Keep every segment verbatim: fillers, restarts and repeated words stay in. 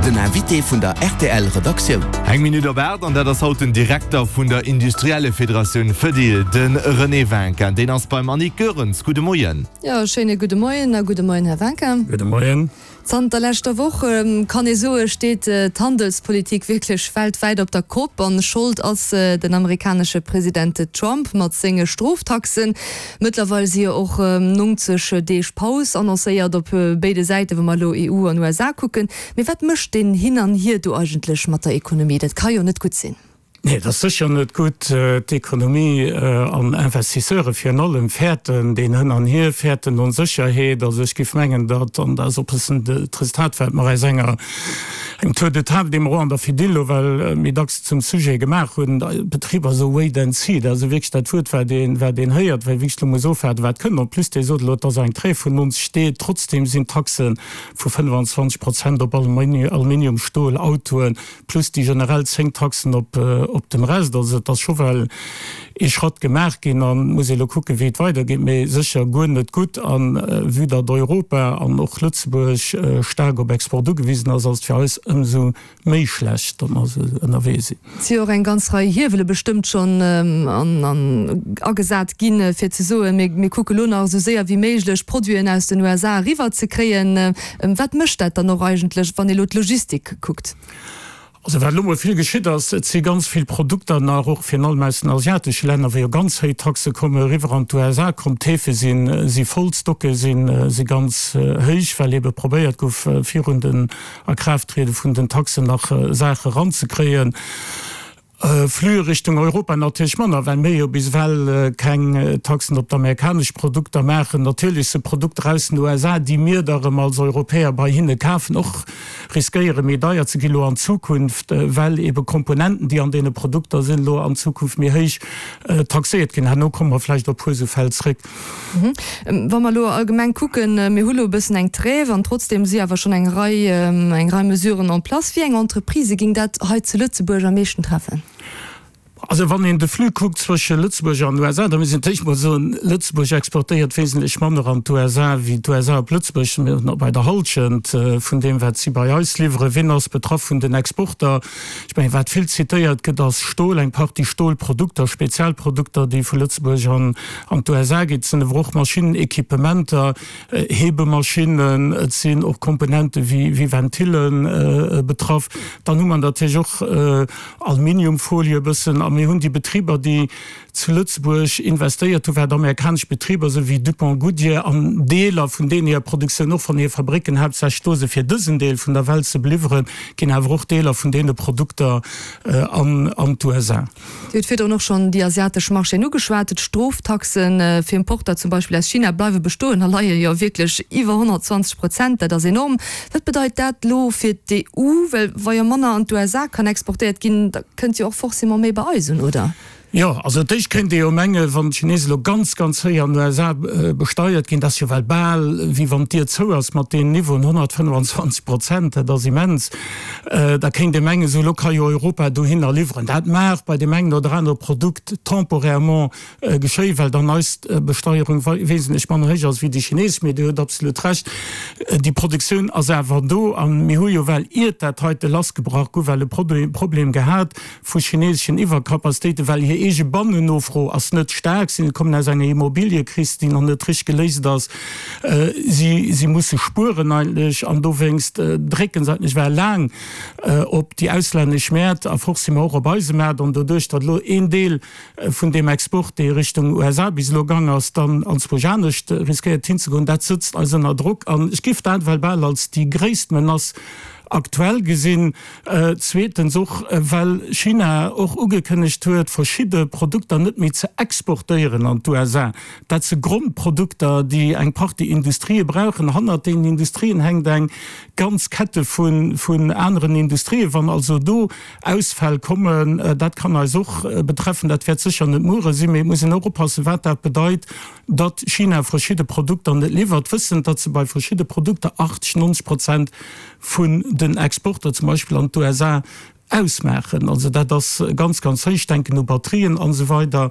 Den Invité vun der R T L Redaktioun. Eng Minutt op aacht an dat ass haut den Direkter vun der Industriellefederatioun Fedil, de René Winkin. Deen ass beim Annick Goerens. Gudde Moien. Jo, schéine gudde Moien a gudde Moien, Här Winkin. Gudde Moien. Zanter leschter Woch, kann ee soen, steet d'Handelspolitik wierklech weltwäit op der Kopp. An Schold ass den amerikanesche President Trump mat senge Stroftaxen. Mëttlerweil si jo och nonzeg Deeg Paus annoncéiert op béide Säiten, wa mer elo E U an U S A kucken. Mee wat mécht deen Hin an Hier do eigentlech mat der Ekonomie? Dat ka jo net gutt sinn. Nee, dat ass sécher net gutt. D'Ekonomie an Investisseure virun allem fäerten deen Hin an Hier, fäerten Onsécherheet. Also ech géif mengen, datt, an dat ass och e bëssen d'Resultat, wat mer aus enger engem Tour de table, dee mer och an der Fedil elo well méi dacks zum Sujet gemaach hunn, d'Betriber esou wait and see, dat ass esou wierklech dat Wuert, wat een, wat een héiert, well wierklech elo muss ofwaarden, wat kënnt. En plus, Dir sot elo, et ass eng Tréif vun nonzeg Deeg, trotzdem sinn d'Taxe vu fënnfanzwanzeg Prozent op Aluminium, Stol, Autoen, plus déi generell zéng Taxen op op dem Rest. Also et ass scho well ee Schratt gemaach ginn an muss ee lo kucken, wéi et weidergeet, mee sécher guer net gutt. An vue datt Europa an och Lëtzebuerg staark op Export ugewisen ass, ass et fir eis ëmsou méi schlecht, datt mer esou ënnerwee sinn. Et si jo och eng ganz Rei Hiewele bestëmmt schonn agesat ginn, fir ze soen, mir kucke lo nach esou séier wéi méiglech Produiten aus den U S A eriwwer ze kréien. Wat mécht dat dann och eigentlech, wann ee lo d'Logistik kuckt? Also wat elo mol vill geschitt ass, et si ganz vill Produkter nach, och virun allem aus den asiatesche Länner, wou jo ganz héich Taxe kommen, eriwwer an d'U S A komm. D'Häfe si si voll, d'Stocke si si ganz héich, well ebe probéiert gouf, virun den Akraafttriede vun den Taxen nach Saache eranzekréien. Flux Richtung Europa natierlech manner, well mir jo bis ewell keng Taxen op d'amerikanesch Produkter maachen. Natierlech si Produkter aus den U S A, déi mir da erëm als Europäer bei hinne kafen, och riskéiere méi deier ze gi lo an Zukunft, well ebe Komponenten, déi an deene Produkter sinn, lo an Zukunft méi héich taxéiert ginn. Herno komme mer vläicht op e puer esou Fäll zréck. Wa mer elo allgemeng kucken, mir hu lo e bëssen eng Trêve an trotzdeem si awer schonn eng Rei, eng Rei Mesuren en place. Wéi eng Entreprisë géing dat hei zu Lëtzebuerg am meeschten treffen? Also wann een de Flux kuckt zwësche Lëtzebuerg an U S A, da muss een d'éischt mol soen, Lëtzebuerg exportéiert wesentlech manner an d'U S A wéi d'U S A op Lëtzebuerg. Mir sinn bei der Hallschent vun deem, wat si bei eis liwweren. Wien ass betraff vun den Exporter? Ech mengen, wat vill zitéiert gëtt, ass Stol, eng Partie Stolprodukter, Spezialprodukter, déi vu Lëtzebuerg an an d'U S A ginn. Et sinn awer och Maschinnen, Equipementer, Hebemaschinen, et sinn och Komponente wéi wéi Ventille betraff. Dann hu mer natierlech och Aluminiumfolie e bëssen. A mir hunn déi Betriber, déi zu Lëtzebuerg investéiert hunn, wat amerikanesch Betriber sinn, wéi DuPont, Goodyear, an Deeler vun deenen hir Produktioun och van hir Fabricken haaptsächlech do sinn, fir dësen Deel vun der Welt ze beliwweren, ginn awer och Deeler vun deene Produkter an an d'U S A. Dir hutt virdrun och schonn déi asiatesch Marchéen ugeschwat. D'Stroftaxe fir Importer zum Beispill aus China bleiwe bestoen a leie jo wierklech iwwer honnertzwanzeg Prozent. Dat ass enorm. Wat bedeit dat elo fir d'E U? Well wa jo manner an d'U S A kann exportéiert ginn, da kënnt jo och forcément méi bei eis un, oder? Jo, also d'éischt kéint ee jo mengen, wann d'Chinesen elo ganz, ganz héich an den U S A besteiert ginn, dat ass jo well bal wéi wann d'Dier zou ass mat deenen Niveauen, honnertfënnfanzwanzeg Prozent, dat ass immens, da kéint ee mengen, esou elo ka jo Europa dohinner liwweren. Dat mag bei deem engen oder anere Produkt temporairement geschéien, well dann eis Besteierung wesentlech manner héich ass wéi déi chinesesch, mee Dir hutt absolut Recht, déi Produktioun ass awer do a mir hu jo well, iert dat heite lassgebrach gouf, well e Problem gehat vu chineseschen Iwwercapacitéiten, well hir eege Bannennofro ass net staark. Si kommen aus enger Immobiliëkris, déi nach net richteg geléist ass. Si, si musse spueren eigentlech an dowéinst drécke se eigentlech well laang op déi auslännesch Mäert a forcément och op eise Maart. An doduerch, datt elo een Deel vun deem Export, dee Richtung U S A bis elo gaang ass, dann anzwousch anescht riskéiert hinzegoen, dat sëtzt eis ënner Drock. An ech géif dat well bal als déi gréisst Menace aktuell gesinn. Zweetens och, well China och ugekënnegt huet, verschidde Produkter net méi ze exportéieren an d'U S A. Dat si Grondprodukter, déi eng Partie Industrië brauchen. Hannert deenen Industrien hänkt eng ganz Kette vun aneren Industrien. Wann also do Ausfäll kommen, dat kann eis och betreffen. Dat wäert sécher net muere sinn, mee et muss een och oppassen, wat dat bedeit, datt China verschidde Produkter net liwwert, wëssend, datt se bei verschidde Produkter achtzeg, nonzeg Prozent vun den Exporter, zum Beispill an d'U S A, ausmaachen. Also dat ass ganz, ganz héich. Ech denken u Batterien an esou weider.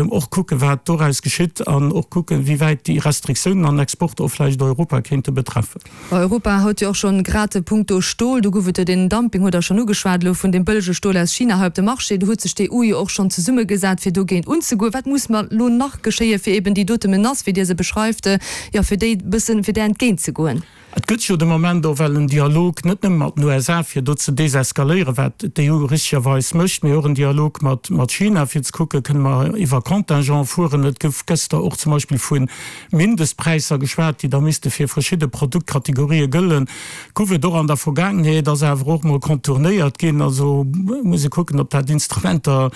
Och kucken, wat doraus geschitt an och kucken, wéi wäit déi Restriktiounen an Exporter och vläicht Europa kéinte betreffen. Europa haut jo och schonn grad punkto Stol, do gouf et jo deen Dumping, hutt Der schonn ugeschwat elo, vun deem bëllege Stol aus China hei op de Marché. Do huet sech d'EU jo och schonn zesummegesat, fir dogéint unzegoen. Wat muss mer elo nach geschéien, fir eben déi dote Menace, wéi Dir se beschreift, jo, fir déi e bëssen, fir där entgéintzegoen? Et gëtt jo de Moment och well en Dialog, net nëmme mat den U S A, fir do ze deseskaléieren, wat d'E U richtegerweis mécht, mee och en Dialog mat China, fir ze kucken, kënne mer iwwer Contingent fueren. Et gouf gëschter och zum Beispill vu Mindestpräisser geschwat, déi da misste fir verschidde Produktkategorië gëllen. Gouf et och an der Vergaangenheet, ass awer och mol contournéiert ginn. Also muss ee kucken, ob dat Instrument da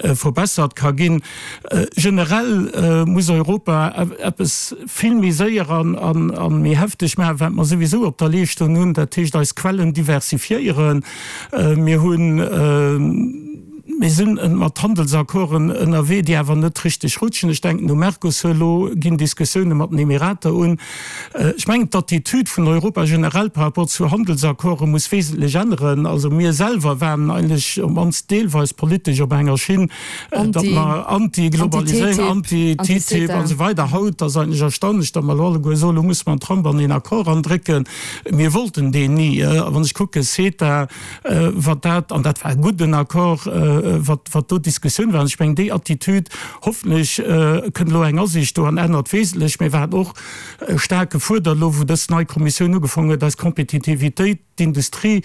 verbessert ka ginn. Generell muss Europa eppes vill méi séier a méi hefteg maachen, wat mer souwisou op der Leeschtung hunn, dat heescht eis Quellen diversifiéieren. Mir hunn, mir sinn mat Handelsaccorden ënnerwee, déi awer net richteg rutschen. Ech denken u Mercosur, elo ginn Diskussioune mat den Emirater un. Ech mengen, d'Attitüd vun Europa generell par rapport zu Handelsaccorde muss wesentlech änneren. Also mir selwer waren eigentlech op d'mannst deelweis politesch op enger Schinn, datt mer Anti-Globaliséierung, Anti-T T I P an esou weider. Haut ass eigentlech erstaunlech, datt mer elo alleguer soen, elo musse mer den Trump an een Accord erandrécken. Mir wollten deen ni. A wann ech kucke CETA, wat dat, an dat war e gudden Accord, wat, wat do d'Diskussioun war. An ech mengen, déi Attitüd, hoffentlech kënnt elo eng Asiicht do an ännert wesentlech. Mir waren och staark gefuerdert elo, wou dës nei Kommissioun ugefaangen huet, eis Kompetitivitéit, d'Industrie,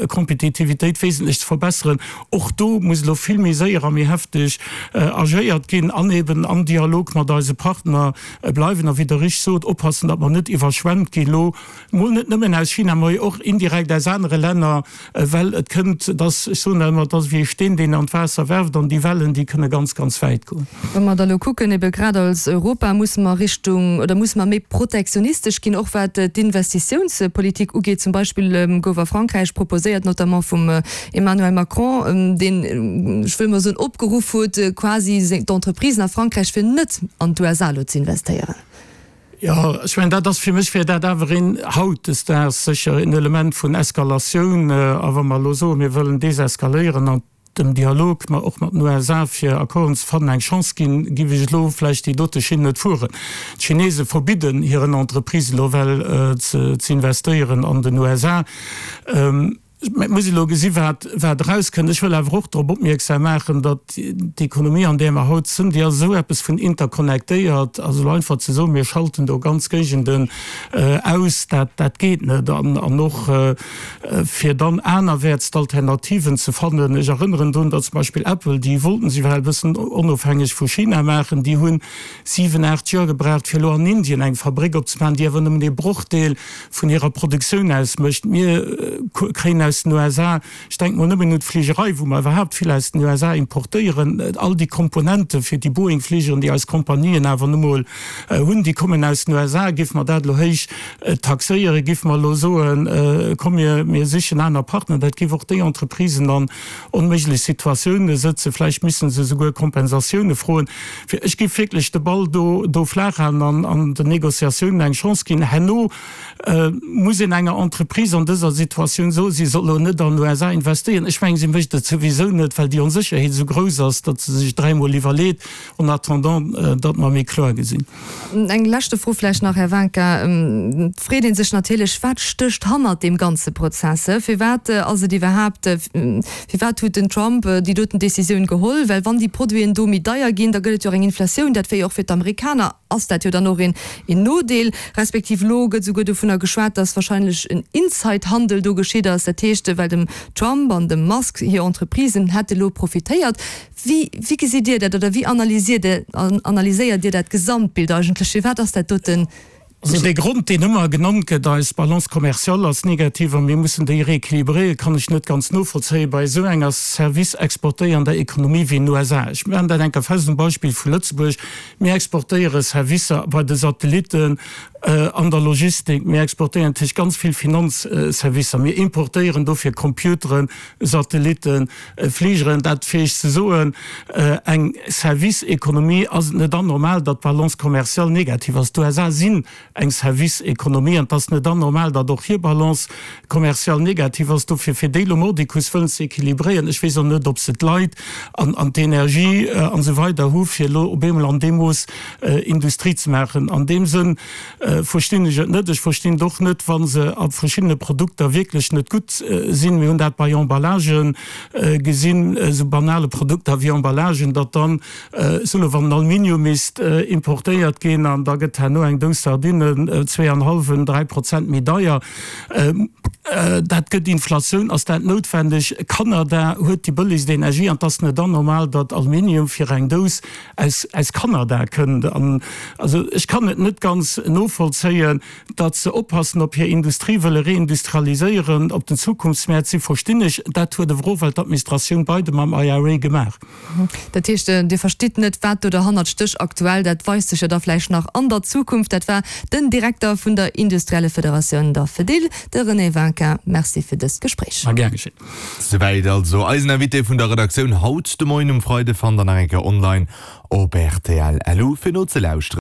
Kompetitivitéit wesentlech ze verbesseren. Och do muss elo vill méi séier a méi hefteg agéiert ginn an eben am Dialog mat eise Partner bleiwen a wéi Der richteg sot, oppassen, datt mer net iwwerschwemmt ginn elo mol net nëmmen aus China, mä och indirekt aus anere Länner, well et kënnt, dass, ech soen dat ëmmer, et ass ewéi ee Steen, deen an d'Waasser werft an déi Wellen, déi kënne ganz, ganz wäit goen. Wa mer da elo kucken, ebe grad als Europa, musse mer Richtung oder musse mer méi protektionistesch ginn, och wat d'Investitiounspolitik ugeet. Zum Beispill gouf a Frankräich proposéiert, notamment vum Emmanuel Macron, deen, ech wëll mol soen, opgeruff huet quasi d'Entreprisen a Frankräich, fir net an d'U S A elo ze investéieren. Jo, ech mengen, dat ass fir mech wär dat awer een hautdesdaags sécher een Element vun Eskalatioun. A wa mer elo soen, mir wëllen deseskaléieren an dem Dialog, ma och mat den U S A fir Accorden ze fannen, eng Chance ginn, géif ech elo vläicht déi dote Schinn net fueren. D'Chinese verbidden hiren Entreprisen elo well ze investéieren an den U S A. Mä et muss ee elo gesi wat wat erauskënnt. Ech wëll awer och drop opmierksam maachen, datt d'Ekonomie an där mer haut sënn, déi ass esou eppes vun interconnectéiert. Also elo einfach ze soen, mir schalten do ganz Géigenden aus, dat dat geet net. An an och fir dann anerwäerts d'Alternativen ze fannen. Ech erënneren drun, datt zum Beispill Apple, déi wollten sech well e bëssen onofhängeg vu China maachen, déi hunn siwen, aacht Joer gebraucht, fir elo an Indien eng Fabréck opzemaachen, déi awer nëmmen ee Brochdeel vun hirer Produktioun ausmécht. Mir kréien aus den U S A, ech denken mol nëmmen un d'Fligerei, wou mer iwwerhaapt vill aus den U S A importéieren, all déi Komponente fir déi Boeing-Fligeren, déi eis Kompanien awer nu mol hunn, déi kommen aus den U S A. Géife mer dat elo héich taxéieren, géife mer elo soen, komm mir, mir sichen aner Partner, dat géif och déi Entreprisen an onméiglech Situatioune sëtzen. Vläicht misste se souguer Kompensatioune froen. Fir ech géif wierklech de Ball do, do flaach halen an, an den Négociatiounen eng Chance ginn. Herno muss een enger Entreprise an dëser Situatioun soen, si soll elo net an d'U S A investéieren. Ech mengen, si mécht et souwisou net, well déi Onsécherheet esou grouss ass, datt se sech dräimol iwwerleet, en attendant, datt mer méi kloer gesinn. Eng leschte Fro vläicht nach, Här Wanka. Et freet ee sech natierlech, Wat stécht hannert deem ganze Prozess? Firwat ass et iwwerhaapt, firwat huet den Trump déi doten Décisioun geholl? Well wann déi Produiten do méi deier ginn, da gëtt et jo och eng Inflatioun. Dat wär jo och fir d'Amerikaner ass dat jo dann och een Nodeel. Respektiv elo gëtt esouguer dovunner geschwat, datt wahrscheinlech en Inside-Handel do geschitt ass. Dat heescht, well dem Trump an dem Musk hir Entreprisen hätte elo profitéiert. Wéi, wéi gesitt Dir dat oder wéi analysiert Dir, analyséiert Dir dat Gesamtbild eigentlech? Firwat ass dat doten? Also dee Grond, deen ëmmer genannt gëtt, eis Balance commerciale ass negativ a mir mussen déi rééquilibréieren, kann ech net ganz novollzéien bei esou enger service-exportéiernder Ekonomie wéi den U S A. Ech maachen dat eng Kéier fest um Beispill vu Lëtzebuerg. Mir exportéiere Servicer bei de Satellitten, an der Logistik, mir exportéieren natierlech ganz vill Finanzservicer, mir importéieren dofir Computeren, Satellitten, Fligeren. Dat fir Iech ze soen, eng Service-Ekonomie ass et net anormal, datt d'Balance commerciale negativ ass. D'U S A sinn eng Service-Ekonomie an et ass net anormal, datt och hir Balance commerciale negativ ass. Dofir, fir déi elo mordicus wëllen ze équilibréieren, ech weess och net, ob se d'Leit an an d'Energie an esou weider hu fir elo op eemol an deem Mooss Industrie ze maachen. An deem Sënn verstinn ech et net. Ech verstinn et och net, wa se a verschiddene Produkter wierklech net gutt sinn. Mir hunn dat bei Emballagen gesinn, esou banale Produkter wéi Emballagen, datt dann, solo wann Aluminium misst importéiert ginn an da gëtt herno eng Dous Sardinen zwee an hallwen, dräi Prozent méi deier. Dat gëtt Inflatioun. Ass dat noutwendeg? Kanada huet déi bëllegst Energie an et ass net anormal, datt Aluminium fir eng Dous aus aus Kanada kënnt. An also ech kann et net ganz novollzéien, datt se oppassen op hir Industrie, wëlle reindustrialiséieren, op den Zukunftsmäert si verstinn ech. Dat huet awer och well d'Administratioun Biden mam I R A gemaach. Dat heescht, Dir verstitt net, wat do derhannert stécht aktuell. Dat weist sech jo da vläicht nach an der Zukunft. Dat war den Direkter vun der Industriellefederatioun, der Fedil, de René Winkin. Merci fir dëst Gespréich. Ma gär geschéen. Souwäit also eisen Invité vun der Redaktioun haut de Moien um Freide. Fannt der nach eng Kéier online op rtl. Lu fir nozelauschteren.